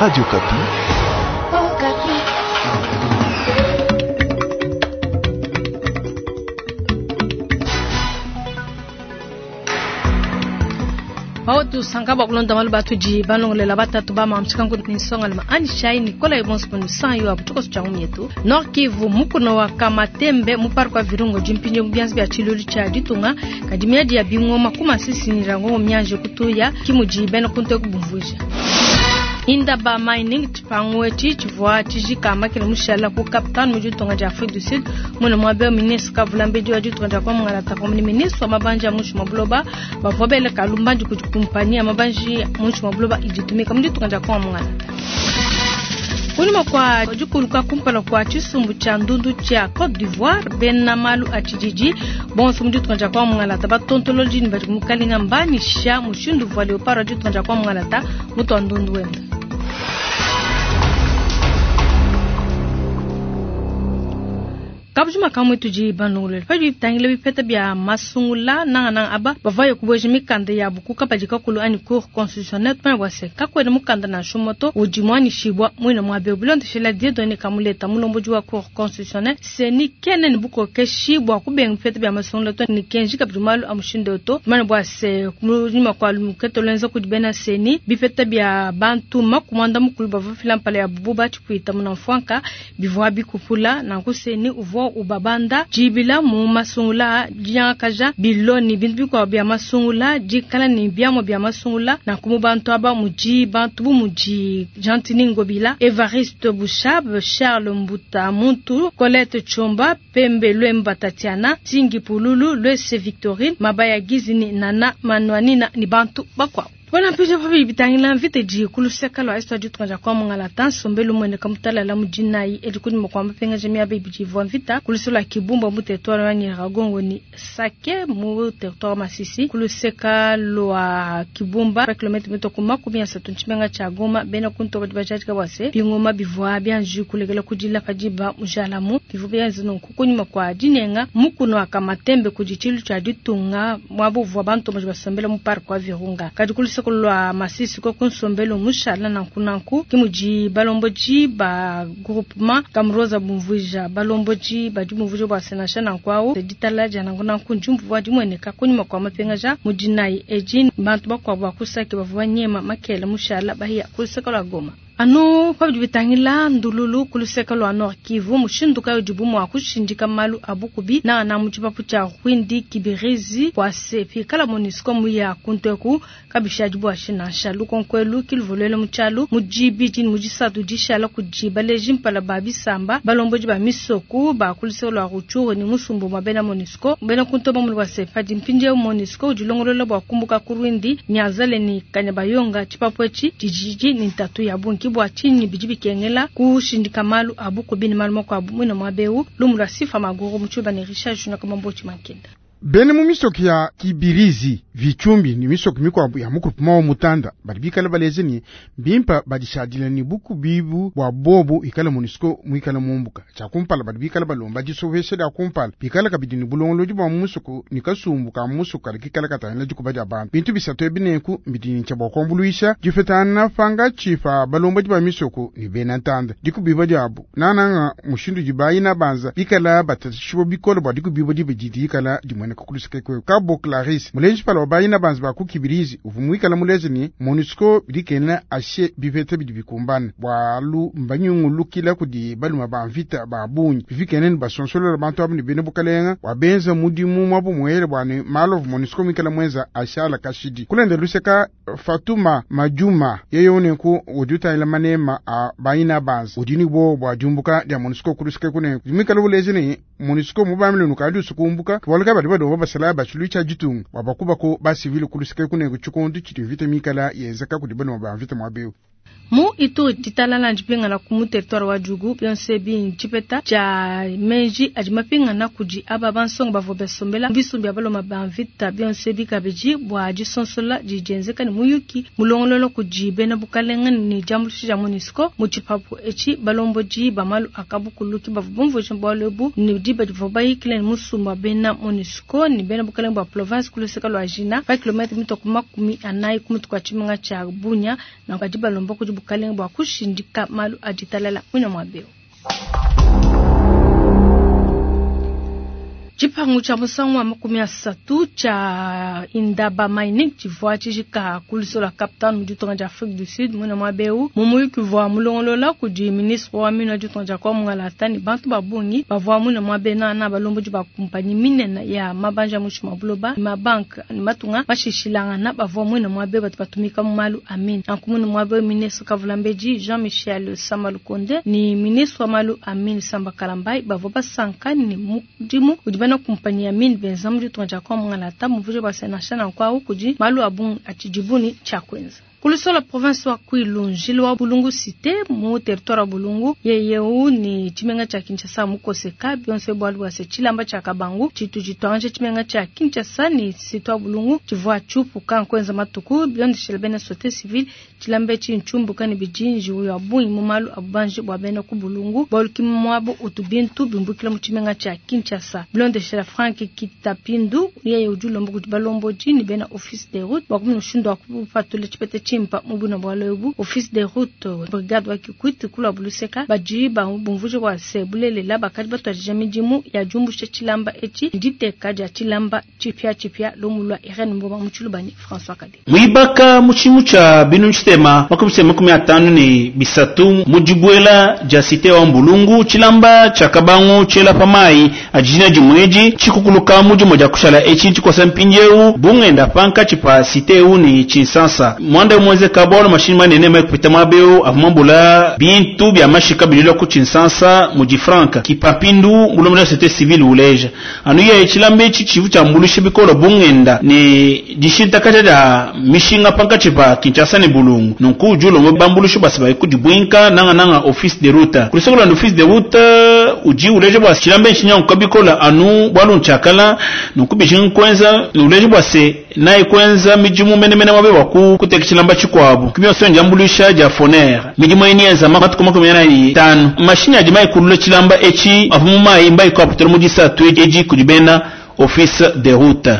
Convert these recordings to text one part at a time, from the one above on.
Radio Okapi. Pawetu sanka bua kulonda malu batudi balongolela batatu ba mamtshikanku ni nsongalima anyi shai nikola ebonso panu san yo abu tshikoso tshia ngumi yetu. Nord Kivu mukuna wa Kamatembe mu parc wa Virunga udi mpindieu mu bianza bia tshilulu tshia ditunga kadi miadi ya bingoma ku Masisi ni Nyiragongo mianji kutuya ki mudi bena kuntu eku bumvuija. Indaba Mining tshipangu etshi tshivua tshijika makele mushala ku Cape Town mu ditunga dia Afrique du Sud muna muaba eu ministre kavulambedi wa ditunga dia Kongo pamue ne ministre wa mabanji a muinshi mua buloba bavua bele kalumbandi kudi kumpanyi ya mabanji muinshi mua buloba idi itumika mu ditunga dia Kongo Mungalata. Kunyima kua dikuluka kumpala kua tshisumbu tshia ndundu tshia Cote d'Ivoire, bena malu a tshididi bonso mu ditunga dia Kongo Mungalata batontolodi ne badi mukalenga mbanyisha mushindu uvua leopard wa ditunga dia Kongo Mungalata mutua ndundu wenda. Kabujima kamue tudi balongolole padi bitangila bipeta bia masungula nangananga aba bavua kubueja mikanda yabu ku kabadi kakulu anyi cour constitutionnelle tumanye bua se kakuena mukanda nansha umue to udi muanyishibua muine muaba eu. Bilondeshila Dieudonne Kamuleta mulombodi wa cour constitutionnelle CENI kena ne bukokeshi bua kubenga bipeta bia masungula to ne kenji kabidi malu a mushindu eu to. Tumanye bua se kunyima kua lukete luenza kudi bena CENI bipeta bia bantu makumi muanda mukulu bavua bafila mpala yabu bu batshipuita munamfuanka bivua bikupula nanku CENI uvua ubabanda dibila mu masungula dinyangakaja bilo ne bintu bikuabu bia masungula dikala ne biamua bia masungula nanku mu bantu aba mudi bantu bu mudi Gentiny Ngobila, Evariste Boshab, Charles Mbuta Muntu, Colette Tshomba, Pembe Luemba Tatiana, Tingi Pululu, Luese Victorine, Mabaya Gizini, Nana Manuanina ne bantu bakuabu. Bana mpindieu pa bidi bitangila mvita idi ku luseke lua est wa ditunga dia Kongo Mungalata, nsombelu mmueneka mutalala mu dinayi edi kunyima kua mapingaja miaba ibidi ivua mvita ku luseke lua Kibumba mu territoire wa Nyiragongo ne Sake mu territoire wa Masisi ku luseke lua Kibumba pa kilometre mitue ku 30 ntshimenga tshia Goma. Bena ku ntoba badi bajadika bua se bingoma bivua bianji kulekela kudila pa diba mujalamu bivua bienza nunku kunyima kua dinenga mukuna wa Kamatembe kudi tshilu tshia ditunga muaba uvua bantomboji basombela mu parc wa Virunga. Kadi ku luseke lua Masisi koku nsombelu mushala nanku nanku, ke mudi balombodi ba groupement Kamroza bumvuija. Balombodi badi bumvuija bua se nansha nanku au ditalala dia nanku nanku ndiumvua dimueneka kunyima kua mapingaja mu dinayi edi. Bantu bakuabu ba ku Sake bavua banyema makela mushala bahiya ku luseke lua Goma. Anu pa bidi bitangila ndululu ku luseke lua Nord Kivu, mushindu kayi udibu mua kushindika malu a bukubi nangananga mu tshipapu tshia Rwindi Kibirizi bua se pikala Monusco muya kuntu eku kabishadi buashi nansha? Lukonko elu ki luvua luela mu tshialu mu dibidi ne mu disatu dishala kudi baleji mpala ba bisamba, balombodi ba misoku ba ku luseke lua Rutshuru ne musumba wa bena Monusco. Bena kuntu bamone bua se padi mpindieu Monusco udilongolola bua kumbuka ku Rwindi, Nyanzale ne Kanyabayonga, tshipapu etshi tshidi ne ntatu ya bungi. Ke bua tshinyi bidi bikengela kushindika malu a bukubi ne malu makuabu muine muaba eu. Lumu lua Sifa Maguru mu tshiluba ne Richard Junior Kamambo Tshimankenda. Bena mu misoko ya Kibirizi, Vitshumbi ne misoko mikuabu ya mu groupement wa Mutanda badi bikale baleja ne, mbimpe badishadile ne bukubi bua bobu ikale Monusco muikale mumbuka. Tshia kumpala badi bikale balomba disopesha dia kumpala, bikale kabidi ne bulongolodi bua mu musoko ne kasumbu ka mu musoko kadi kikale katangila dikuba dia bantu. Bintu bisatu ebi nenku mbidi ne tshia bua kuambuluisha dipetangana pankatshi pa balombodi ba misoko ne bena ntanda, dikubibua diabu nangananga mushindu udi bayina banza bikala batatshishibua bikole bua dikubibua dibi didi dikala dimueneka ku luseke kueku. Kabo Clarisse, muleji mpala wa bayina banza ba ku Kibirizi, uvua muikale muleje ne, Monusco bidi kena ashe bipeta bidi bikumbane bualu mbanyungulukila kudi balume ba mvita ba bungi bifikene ne basonsolola bantu abu ne bena bukalenga bua benza mudimu muabu muele bua ne malu avua Monusco muikale muenza ashala kashidi. Kulenda luseka Fatuma Majuma yeye unenku udi utangila manema a bayina banza udi ne buowa bua diumbuka dia Monusco ku luseke kunenku muikale uleja ne Monusco mubambile nukadi usukumbuka bualu ka badi balomba basalayi ba tshiluilu tshia ditunga bua bakubako ba civil ku luseke kunenku tshikondu tshidi mvita mikala yenzeka kudi balume ba mvita muaba eu. Mu Ituri, ditalala ndipingana ku mu territoire wa Djugu. Bionso ebi ntshipeta tshia meji adi mapingana kudi aba bansonga bavua basombela mu bisumbu bia baluma ba mvita. Bionso ebi kabidi bua disonsola didi dienzeka ne muyuki mulongolola kudi bena bukalenga ne diambuluisha dia Monusco. Mu tshipapu etshi, balombodi ba malu a kabukulu ke bavua bumvuija bualu ebu ne diba divuabu bayikila ne musumba wa bena Monusco ne bena bukalenga bua province ku luseke lua Jina pa kilometre mitue ku 40 ku mutu kua tshimenga tshia Bunia. Nanku badi balomba. kudi bukalenge bua kushindika malu a ditalala muine muaba eu. Tshipangu tshia musangu wa 30 tshia Indaba Mining tshivua tshijika ku luseke lua Cape Town mu ditunga dia Afrique du Sud muine muaba eu mu muyuki uvua mulongolola kudi ministre wa mine wa ditunga dia Congo Mungalata ne bantu ba bungi bavua muine muaba nana balombodi ba kumpanyi minene ya mabanji a muinshi mua buloba ne mabanke ne matunga mashishilangana bavua muine muaba batu batumika mu malu a mine. Nanku muine muaba ministre Kavulambedi Jean-Michel Sama Lukonde ne ministre wa malu a mine Samba Kalambayi bavua basanka ne mudimu udi bena kumpanyi ya mine benza mu ditunga dia Congo Mungalata muvuje bua se nansha nanku awu kudi malu a bungi atshidibu ne tshia kuenza. Kulusola province wa Kwilu njila wa Bulungu cité mu territoire wa Bulungu yeyeu ni tshimenga tshia Kinshasa mukoseka bionso bualu bua se tshilamba tshia Kabangu tshitu tshituangaja tshimenga tshia Kinshasa ni cité wa Bulungu tshivua tshiupuka nkuenza matuku bilondeshela bena société civile tshilamba etshi ntshiumbuka ne bidinji ya bungi mu malu a bubanji bua bena ku Bulungu bualu ki muabu utu bintu bimbukila mu tshimenga tshia Kinshasa bilondeshela Frank Kitapindu yeye udi ulomba kudi balombodi ne bena office des routes bua kumanya mushindu wa kupatula tshipeta tshimpa mu buna bualu ebu. Office des routes brigade wa Kikwit kulwa buluseka badi bumvuje bua se bulelela bakadi batuadija midimu ya diumbusha tshilamba etshi nditeka dia tshilamba tshipia tshipia lumu lwa Irene Mboma mu Tshilubani François Kade. Mwibaka mu tshimu tshia binu tshitema 53 mu dibuela dia cité wa Mbulungu tshilamba tshia Kabangu tshiela pa mayi adijina dimweji tshikukuluka mu dimo dia kushala etshi tshikosa mpindieu bungenda panka tshipa cité eu ni Tshinsansa mwanda mweze kabolo mashini manene mai kupita mwabeu avumambula bintu bya mashika bililo ku Tshinsansa mu di franka kipapindu mulomela société civile uleja anu ye tshilamba etshi tshivu tshia mbulusha bikolo bungenda ni dishintakaja dia mishinga panka tshipa Kinshasa ne Bulungu nunku udi ulongo bambulusha basi bai kudibwinka nanga nanga office de route kulisoko la office de route udi uleja bwa tshilamba etshi nyanguka bikola anu bwalu ntshakala nunku bijinga kwenza uleja bwa se naye kwenza midimu menemene mwabe bwa kuteka tshilamba tshikuabu kimyonso ndiambulusha dia foner midimu eni yenza matuku 45 mashini adi mayikulula tshilamba etshi avu mu mayi mbayi kuaputela mu disatu edi kudi bena office de route.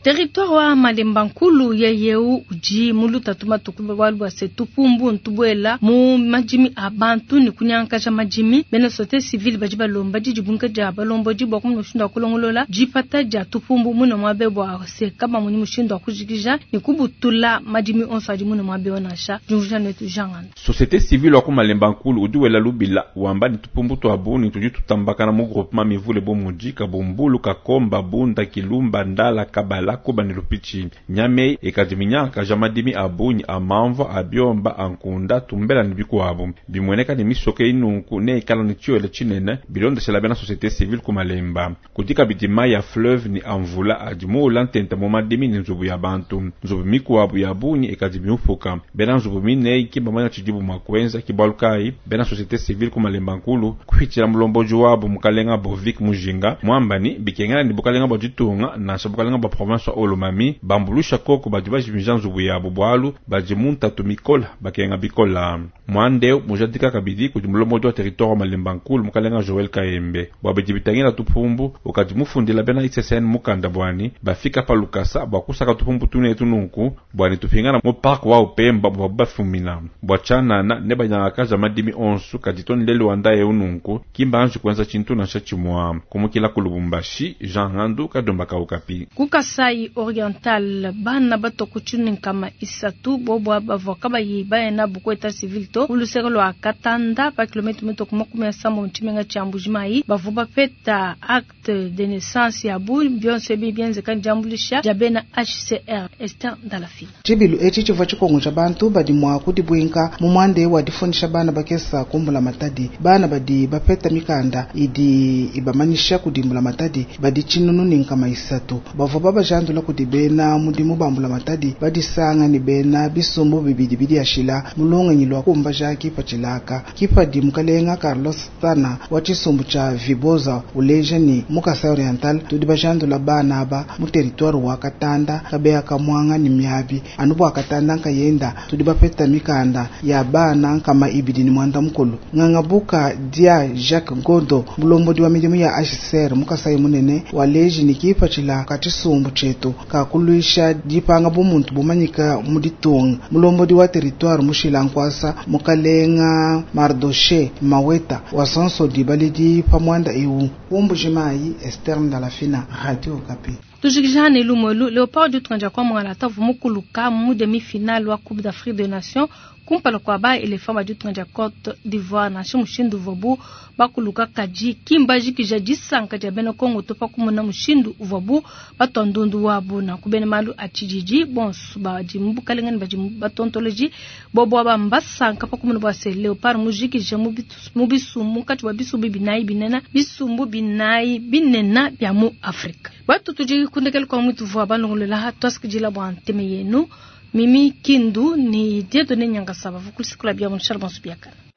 Territoire wa Malemba Nkulu yeyeu udi mu lutatu matuku bualu bua se tupumbu ntubuela mu madimi a bantu ne kunyankaja madimi. Bena société civile badi balomba didibunka dia balombodi bua kumuna mushindu wa kulongolola dipata dia tupumbu muna muabe bua se kaba muni mushindu wa kujikija ne kubutula madimi onso adi muna muabe nansha. Diumvuija netu Jean Ngando. Société civile wa ku Malemba Nkulu udi wela lubila wamba ni tupumbu twa buni tudi tutambakana mu groupement mivule bo mudi Kabumbulu, Kakomba, Bunda, Kilumba, Ndala, Kabala, Kuba ne Lupichi. Nyame ekadiminyaka ja madimi a bunyi a mamva a biomba a nkunda tumbela ne bikuabu bimweneka ne misoke inunku ne ikala ne tshiole tshinene bilondeshela bena société civile ku Malemba. Kudika bidima ya fleuve ni amvula adi muula ntenta mu madimi ne nzubu ya bantu. Nzubu mikuabu ya bunyi ekadimiupuka bena nzubu minei kibamanya tshidibu mwa kuenza kibalukai bena société civile ku Malemba Nkulu kuhitshila mulomboji wabu mukalenga Bovik Mujinga mwambani bikengela ni bukalenga bwa ditunga nansha bukalenga bwa province wa Olomami bambulusha koko badi bajimija nzubu yabo bwalu badi muntatu mikola bakenga bikola. Mwande mujadika kabidi kudi mulomboji wa territoire wa Malemba Nkulu mukalenga Joel Kaembe bwa bidi bitangila tupumbu ukadi mufundila bena ICCN mukanda bwani bafika pa Lukasa bwa kusaka tupumbu tunetu nunku bwani tupingana mu park wa Upemba bwa bafumina bwa chanana ne banyangakaja madimi onsu kaditoni lelu wanda eu nunku kimba anji kuenza chintu nansha chimwa kumukila ku Lubumbashi Jean Ngandu kadomba kaukapi. Ku Kasai Oriental bana batoko tshinunkama isatu bobwa bavua kabayi bayena buku état civil to uluseke lwa Katanda pa kilomètre mitoko 70 mu tshimenga tshia Mbujimayi bavua bapeta acte de naissance ya bu bionso ebi bienzeka diambulisha dia bena HCR. Esther Ndalafina. Tshibilu etshi tshivua tshikongo tshia bantu badi mua kudibwinka mu mwande wa difundisha bana bakesa kumbula matadi. Bana badi bapeta mikanda idi ibamanyisha kudimbula matadi badi tshinunu ne nkama isatu. Bavua babajandula kudi bena mudimu bambula matadi badisanga ne bena bisumbu bibidi bidiashila mulongenyi lwa kumbaja kipa tshilaka. Kipa di mukalenga Carlos Tana wa tshisumbu tshia Viboza uleja ni mu Kasai Oriental tudi bajandula bana aba mu territoire wa Katanda kabeya kamwanga ni miabi anu bwa Katanda nkayenda tudi bapeta mikanda ya bana nkama ibidi ni mwanda mukulu. Ngangabuka dia Jacques Ngondo mulombodi wa midimu ya HCR mu Kasai munene waleji ni kipa tshilaka tshisumbu tshietu dietu ka kuluisha dipanga bumuntu bumanyika mu ditunga. Mulombodi wa territoire mushila nkwasa mukalenga Mardoshe Maweta wasansodi baledi pa muanda eu. Ku Mbujimayi, Esther Ndalafina, Radio Okapi. Tujikija ne lumu elu, Leopard ditunga dia kwa Mwangalata uvua mukuluka mu demi-finale wa Coupe d'Afrique des Nations kumpala kua ba Elephant ba ditunga dia Cote d'Ivoire. Nansha mushindu uvuabu bakuluka, kadi ki mbajikija disanka dia bena Congo to pa kumona mushindu uvuabu batua ndundu wabu. Nanku bena malu a tshididi bonso badi mu bukalenge ne badi batontoloji bobu aba mbasanka pa kumona bua se Leopard mujikija mu bisumbu munkatshi mua bisumbu binayi binene bisumbu binayi binene bia mu Afrika. Batu tudi kundekela kwa mutu vua balongolola tuasikidila bua nteme yenu Mimi Kindu ni Dieudonné Nyangasaba vukulisikula bia mu Charles Bonso biakana.